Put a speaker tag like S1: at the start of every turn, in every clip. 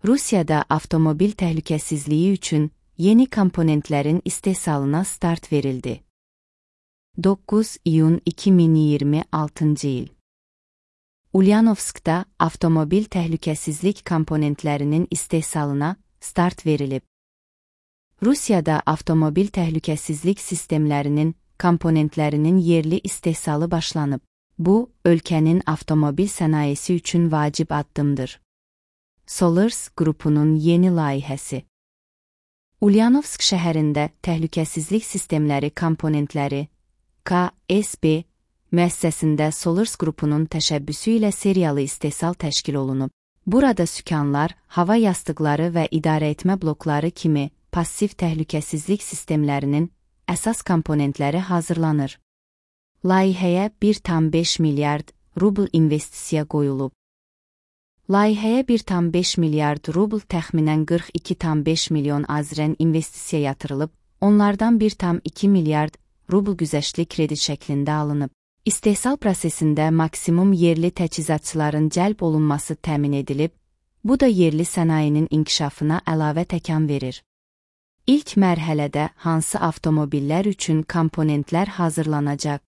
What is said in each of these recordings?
S1: Rusiyada avtomobil təhlükəsizliyi üçün yeni komponentlərin istehsalına start verildi. 9 iyun 2026 il. Ulyanovskda avtomobil təhlükəsizlik komponentlərinin istehsalına start verilib. Rusiyada avtomobil təhlükəsizlik sistemlərinin komponentlərinin yerli istehsalı başlanıb. Bu, ölkənin avtomobil sənayesi üçün vacib addımdır. Solars qrupunun yeni layihəsi. Ulyanovsk şəhərində təhlükəsizlik sistemləri komponentləri KSB müəssisəsində Solars qrupunun təşəbbüsü ilə seriyalı istehsal təşkil olunub. Burada sükanlar, hava yastıqları və idarəetmə blokları kimi passiv təhlükəsizlik sistemlərinin əsas komponentləri hazırlanır. Layihəyə 1,5 milyard rubl investisiya qoyulub. Layihəyə 1,5 milyard rubl təxminən 42,5 milyon azrən investisiya yatırılıb, onlardan 1,2 milyard rubl güzəştli kredit şəklində alınıb. İstehsal prosesində maksimum yerli təchizatçıların cəlb olunması təmin edilib, bu da yerli sənayinin inkişafına əlavə təkan verir. İlk mərhələdə hansı avtomobillər üçün komponentlər hazırlanacaq?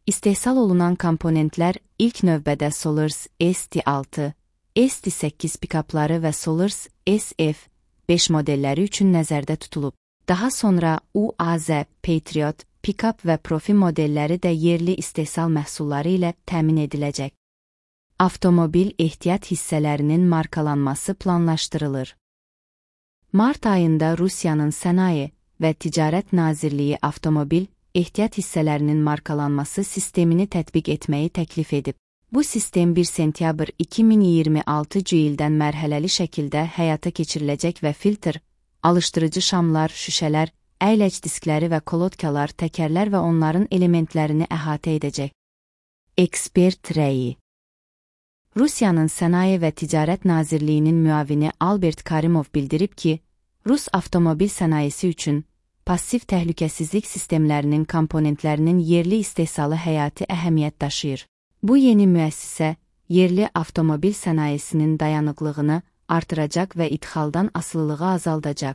S1: İstehsal olunan komponentlər ilk növbədə Solars ST6, ST8 pikapları və Solars SF5 modelləri üçün nəzərdə tutulub. Daha sonra UAZ, Patriot, Pickup və Profi modelləri də yerli istehsal məhsulları ilə təmin ediləcək. Avtomobil ehtiyat hissələrinin markalanması planlaşdırılır. Mart ayında Rusiyanın Sənaye və Ticarət Nazirliyi avtomobil ehtiyat hissələrinin markalanması sistemini tətbiq etməyi təklif edib. Bu sistem 1 sentyabr 2026 ildən mərhələli şəkildə həyata keçiriləcək və filtr, alışdırıcı şamlar, şüşələr, əyləc diskləri və kolodkalar, təkərlər və onların elementlərini əhatə edəcək. Ekspert rəyi. Rusiyanın Sənaye və Ticarət Nazirliyinin müavini Albert Karimov bildirib ki, Rus avtomobil sənayesi üçün passiv təhlükəsizlik sistemlərinin komponentlərinin yerli istehsalı həyati əhəmiyyət daşıyır. Bu yeni müəssisə yerli avtomobil sənayesinin dayanıqlığını artıracaq və idxaldan asılılığı azaldacaq.